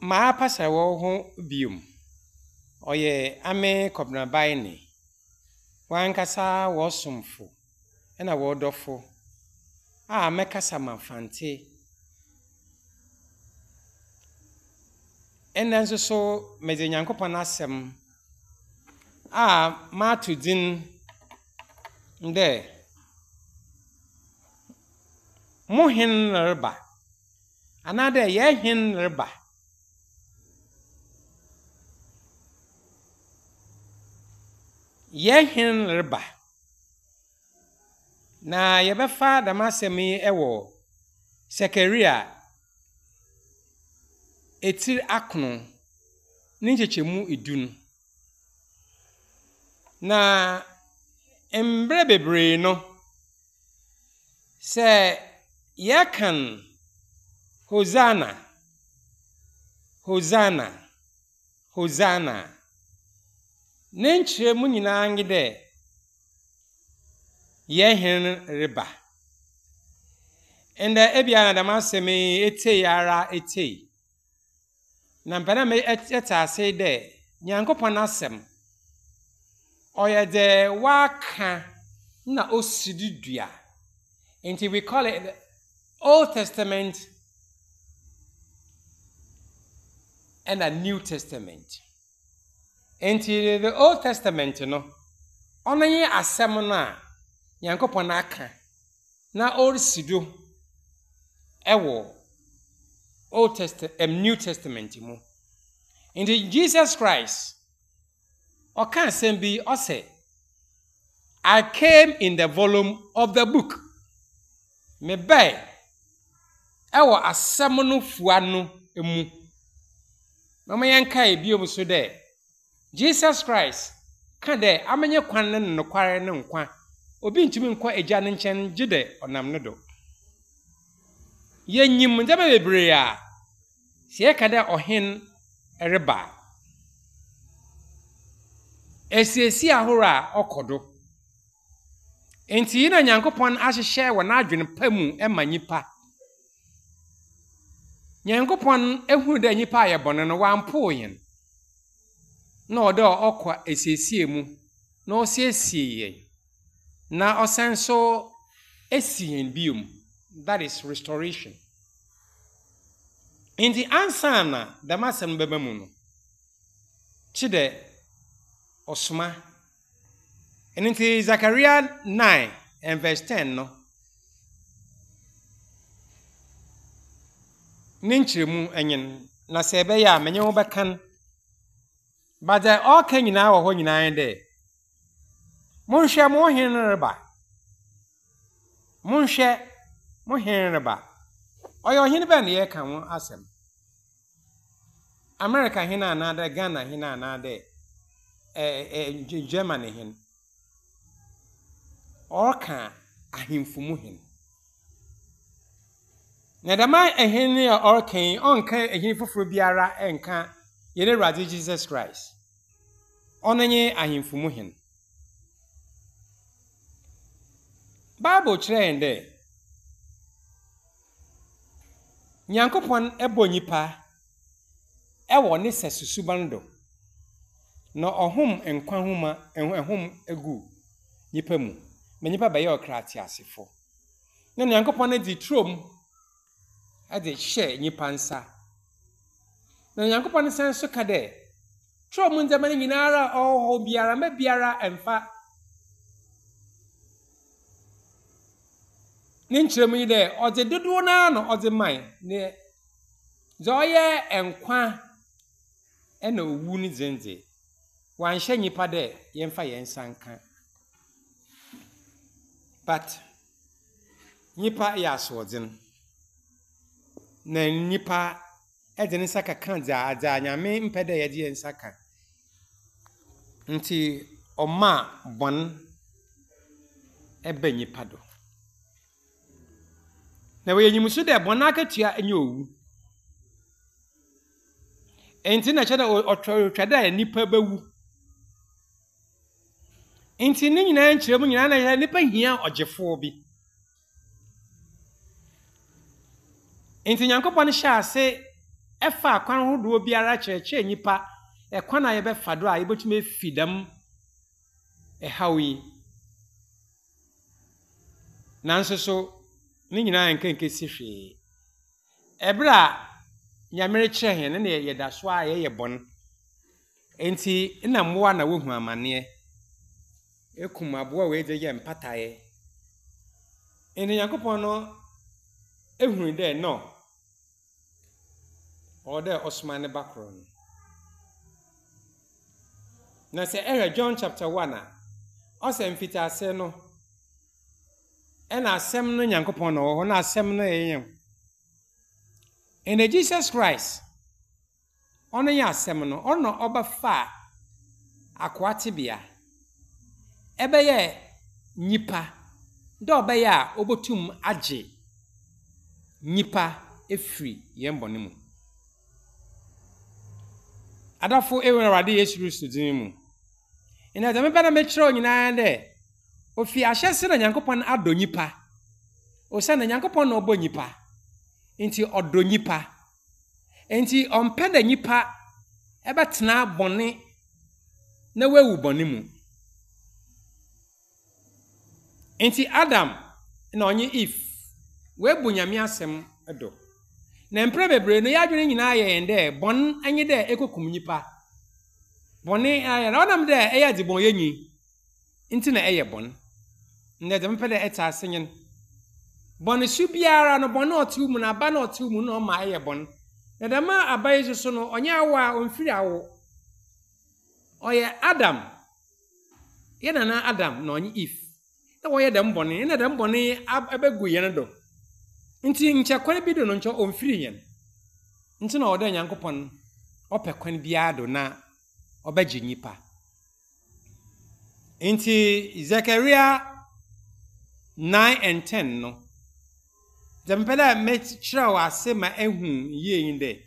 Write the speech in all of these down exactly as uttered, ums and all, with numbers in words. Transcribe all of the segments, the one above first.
Maapasa wɔ ho biom. Ɔyɛ ame Kɔbenabae ne. Wankasa wɔ somfo ɛna wɔ dɔfo a mɛkasa ma Fante. Ɛnɛ nso so medze Nyankopɔn asɛm a mato dzin dɛ mo hen reba anaadɛ yɛn hen reba. Yɛn hen reba. Na yɛbɛfa dɛm asɛm yi wɔ Sakaria etiri akron ne nkyekyɛmu edu no. Na mmerɛ bebree no, sɛ yɛkan Hosanna, Hosanna, Hosanna, ne nkyerɛmu nyinaa nye dɛ yɛn hen reba. Ndɛ ebia na dɛm asɛm yi etei ara etei. Na mpɛ dɛ me ɛte ase dɛ Nyankopɔn asɛm ɔyɛ dɛ waka na osi do dua. Nti we call it the Old Testament and the New Testament. Nti the Old Testament no, ɔno nye asɛm no a Nyankopɔn aka na ɔresi do ɛwɔ Old Testament, um, New Testament mu. Nti Jesus Christ ɔka asɛm bi ɔsɛ, I came in the volume of the book. Mebɛɛ ɛwɔ asɛm no fua no mu. Na ma yɛnkae bio so dɛ Jesus Christ ka dɛ amenye kwan ne nokware ne nkwa. Obi ntumi nkɔ agya ne nkyɛn gye dɛ ɔnam ne do. Yɛnyim ndzɛmba bebree a sɛ yɛka dɛ ɔhen reba a, esiesie ahorow a ɔkɔ do. Nti yi na Nyankopɔn ahyehyɛ wɔ n'adwene pa mu ma nyimpa. Nyankopɔn ehunu dɛ nyimpa ayɛ bɔne no, wampoo yɛn. Na ɔwɔ dɛ ɔkɔ esiesie mu na ɔsiesie yɛn. Na ɔsan so esi yɛn biom. That is restoration. Nti ansa na dɛm asɛm no bɛba mu no, kyi dɛ ɔsoma. Ɛno nti Zechariah nine and verse ten no, ne nkyerɛmu enyin na sɛ ɛbɛyɛ a menye wo bɛkan. But dɛ ɔreka nyinaa wɔ hɔ nyinaa nye dɛ, monhwɛ mo hen reba. Monhwɛ mo hen reba. Ɔyɛ ɔhene bɛn na yɛreka ho asɛm? America hen anaadɛ Ghana hen anaadɛ ɛɛ ɛ Germany hen? Ɔreka ahemfo mu hen. Na dɛm ahene a ɔreka yi, ɔnka ahene foforɔ biara nka yɛn Awurade Jesus Christ. Ɔno nye ahemfo mu hen. Bible kyerɛ yɛn dɛ Nyankopɔn bɔ nyimpa ɛwɔ ne sɛso suban do. Na ɔhom nkwa homa ɛhom egu nyimpa mu. Ma nyimpa bɛyɛ ɔkra ateasefo. Na Nyankopɔn dze turom ɛde hyɛ nyimpa nsa. Na Nyankopɔn san so ka dɛ turom ndzɛmba no nyinara a ɔwɔ hɔ biara mma biara ɛmfa. Ne nkyerɛmu yi dɛ ɔdze dodoɔ naa na ɔdze mae ne dza ɔyɛ nkwa ɛna owu ne dze dze wanhyɛ nyimpa dɛ yɛmfa yɛn nsa nka. But nyimpa yɛ asoɔdzen. Na nyimpa ɛdze ne nsa keka dza dza Nyame mpɛ dɛ yɛdze yɛn nsa ka. Nti ɔmaa bɔn ɛba nyimpa do. Na wɔyɛ nyim so dɛ bɔn akatua nye owu. Nti na kyerɛ dɛ ɔtwa dɛ nipa bɛwu. Nti ne nyinaa nkyerɛmu nyinaa na yɛ nipa hia ɔgyefoɔ bi. Nti Nyankopɔn hyɛ ase Ɛfa akwan ahodoɔ biara kyerɛkyerɛ nnipa ɛkwan a yɛbɛfa do a yɛbɛtumi afi dɛm ɛhaw yi. Nanso so ne nyinaa nka nkesi hwee. Ɛberɛ a Nyame rekyerɛ hɛn no, na yɛda so a yɛyɛ bɔn. Enti na mmoa na wohu amanneɛ. Ekum aboa wei de yɛ mpataeɛ. Enti Nyankopɔn no ehunu dɛ no, ɔwɔ dɛ ɔsoma ne ba koro no. Na sɛ ɛhwɛ John chapter one a, ɔsɛ mfitiase no, ɛna asɛm no Nyankopɔn na ɔwɔ hɔ, na asɛm no yɛ yɛn. Ɛna Jesus Christ, ɔno yɛ asɛm no, ɔno ɔbɛfa akoa tebea. Ɛbɛyɛ nnipa, dɛ ɔbɛyɛ a obotum agye nnipa efiri yɛn bɔne mu. Adafo, ewu Awurade Yesu Kristo din mu. Ɛna dɛm bɛ na mekyerɛw nyinaa dɛ, ofi ahyɛse na Nyankopɔn adɔ nnipa. Osiane Nyankopɔn na ɔbɔ nnipa. Nti ɔdɔ nnipa. Nti ɔmpɛ dɛ nnipa ɛbɛtena bɔne na wawu bɔne mu. Nti Adam na ɔnye Eve webu Nyame asɛm do. Na mprɛ bebree no, yɛadwene nyinaa yɛ yɛn dɛ bɔn nye dɛ ekokum nnipa. Bɔne ayɛ na ɔnam dɛ ɛyɛ adzebɔnyɛnyi nti na ɛyɛ bɔn. Ndɛ dɛm pɛ dɛ ɛte ase nyen. Bɔne su biara no, bɔne a ɔte wo mu no, aba na ɔte wo mu no, ɔma ɛyɛ bɔn. Na dɛm aba yi soso no, ɔnyɛ awo a ɔmfiri awo. Ɔyɛ Adam. Yɛ nana Adam na ɔnye Eve. Na wɔyɛ dɛm bɔne, na dɛm bɔne abɛgu yɛn do. Nti nkyɛ kwan bi do no, nkyɛ ɔmfiri yɛn. Nti na ɔwɔ dɛ Nyankopɔn ɔpɛ kwan biara do na ɔbɛgye nnipa. Nti Zechariah nine and ten no, dɛ mepɛ dɛ mekyerɛ ase ma ehu yie yi dɛ,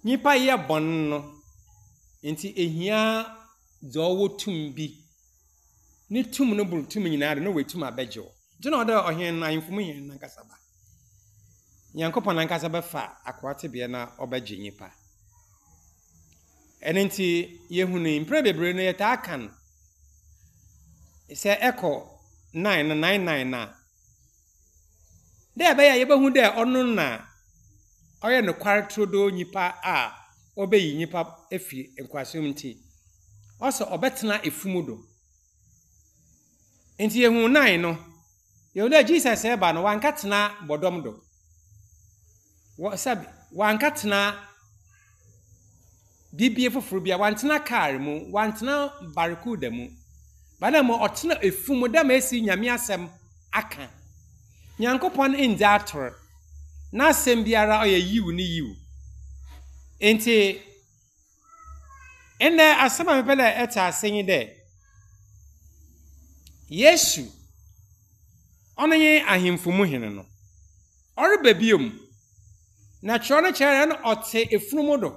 nnipa yɛ bɔn no, nti ehia dza ɔwɔ tum bi. Ne tum no boro tum nyinaa do na wetum abɛgye wo. Nti na ɔwɔ dɛ ɔhen no, ahemfo mu hene nankasa ba. Nyankopɔn nankasa bɛfa akoa tebea na ɔbɛgye nnipa. Ɛno nti yɛhunu yi, mprɛ bebree no yɛtaa ka no sɛ ɛkɔ nine no, nine nine na dɛ ɛbɛyɛ a yɛbɛhu dɛ ɔno na ɔyɛ nokware turodoo nnipa a ɔbɛyi nnipa afiri nkoasom nti, ɔsɛ ɔbɛtena efumu do. Nti yɛhu nine no, yɛhu dɛ Jesus ɛba no, wanka tena bɔdɔm do. Wɔ sɛbi, wanka tena bibie foforɔ bi a, wantena kaa mu, wantena barracuda mu. Bana mu ɔtena efumu dɛ ma esi Nyame asɛm aka. Nyankopɔn ndzi ator. N'asɛm biara ɔyɛ yiw ne yiw. Nti ɛnɛ asɛm a mepɛ dɛ ɛte ase nye dɛ, Yesu ɔno nye ahemfo mu hene no. Ɔreba biom. Na twerɛ no kyerɛ no ɔte efunumu do.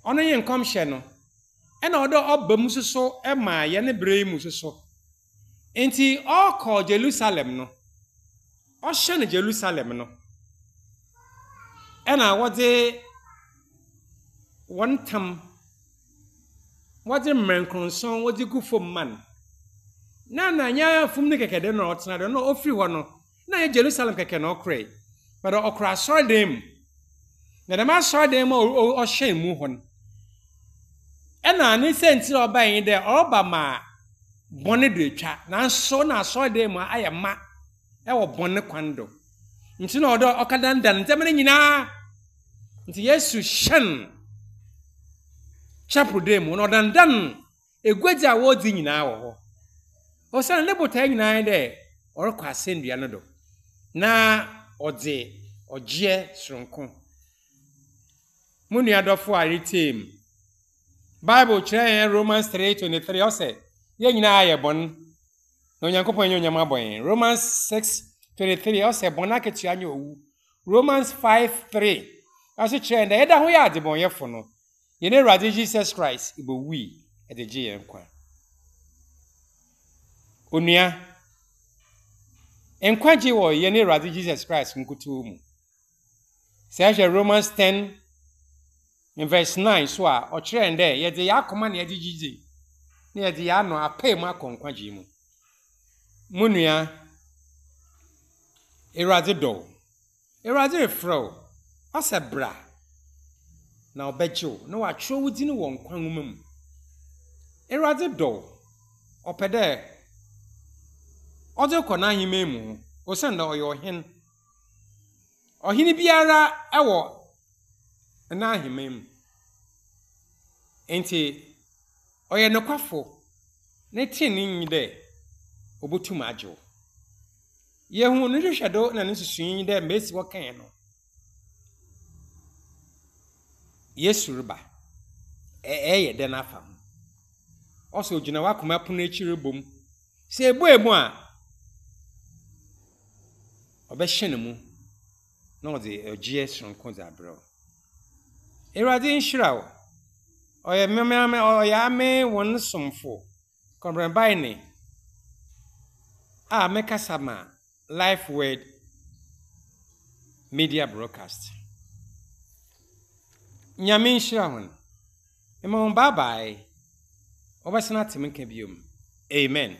Ɔno nye nkɔmhyɛ no. Ɛna ɔdɛ ɔba mu soso ɛma yɛn bere yi mu soso. Nti ɔrekɔ Jerusalem no, ɔhyɛ no Jerusalem no, ɛna wɔde wɔn tam, wɔde mmerɛnkronson wɔde gu fam ma no. Na na nyɛ fam no kɛkɛ de na ɔtena do, na ofiri hɔ no, na yɛ Jerusalem kɛkɛ na ɔkorɛ. But ɔkora asɔredan mu. Na dɛm asɔredan mu a ɔhyɛn mu hɔ no, ɛna ne sɛnti a ɔbaa yi dɛ ɔreba ma bɔne do atwa, nanso na asɔredan mu ayɛ ma ɛwɔ bɔne kwan do. Nti na ɔdɔ ɔka dandan ndzɛmba no nyinaa. Nti Yesu hyɛn chapel dan mu na ɔdandan eguadzi a wɔredzi nyinaa wɔ hɔ. Ɔsan ne botae nyinaa dɛ ɔrekɔ asɛnnua no do na ɔdze ɔgyeɛ soronko. Mo nua dɔfo a retie mu, Bible kyerɛ yɛn Romans three twenty-three, ɔsɛ yɛn nyinaa yɛ bɔn na Onyankopɔn nyɛ onyam abɔ yɛn. Romans six twenty-three, ɔsɛ bɔn akatua nyɛ owu. Romans five three ɔso kyerɛ yɛn dɛ yɛda ho yɛ adebɔnyɛfo no, yɛn Awurade Jesus Christ ibowui ɛde gye yɛn nkwa. Onua, nkwagye wɔ yɛn Awurade Jesus Christ nkutoo mu. Sɛ ɛhwɛ Romans ten verse nine so a, ɔkyerɛ yɛn dɛ yɛdze yɛn akoma na yɛdze gye dzi na yɛdze yɛn ano apae mu akɔ nkwagye mu. Mo nua, Awurade dɔ wo. Awurade refrɛ wo. Ɔsɛ bra na ɔbɛgye wo na watwerɛ wo din wɔ nkwa nwoma mu. Awurade dɔ wo. Ɔpɛ dɛ ɔdze kɔ n'ahemman mu hɔ osiane dɛ ɔyɛ ɔhen. Ɔhene biara wɔ n'ahemman mu. Nti ɔyɛ nokwafo ne tenenee nye dɛ obotum agye wo. Yehu ne nhwehwɛdo na ne nsusui nye dɛ mesi hɔ kae no, Yesu reba. Ɛyɛ dɛn afa ho? Ɔsɛ ogyina w'akoma pono akyi rebɔ mu. Sɛ ebue mu a, ɔbɛhyɛ ne mu na ɔdze ɔgyeɛ soronko dze abrɛ wo. Awurade nhyira wo. Ɔyɛ mmemme ɔyɛ ame wɔn somfo Kɔbrɛbaene a mekasa ma Life Word Media Broadcast. Nyame nhyira hɔn. Mma wɔn bye bye. Wɔbɛsan ate me nka biom. Amen.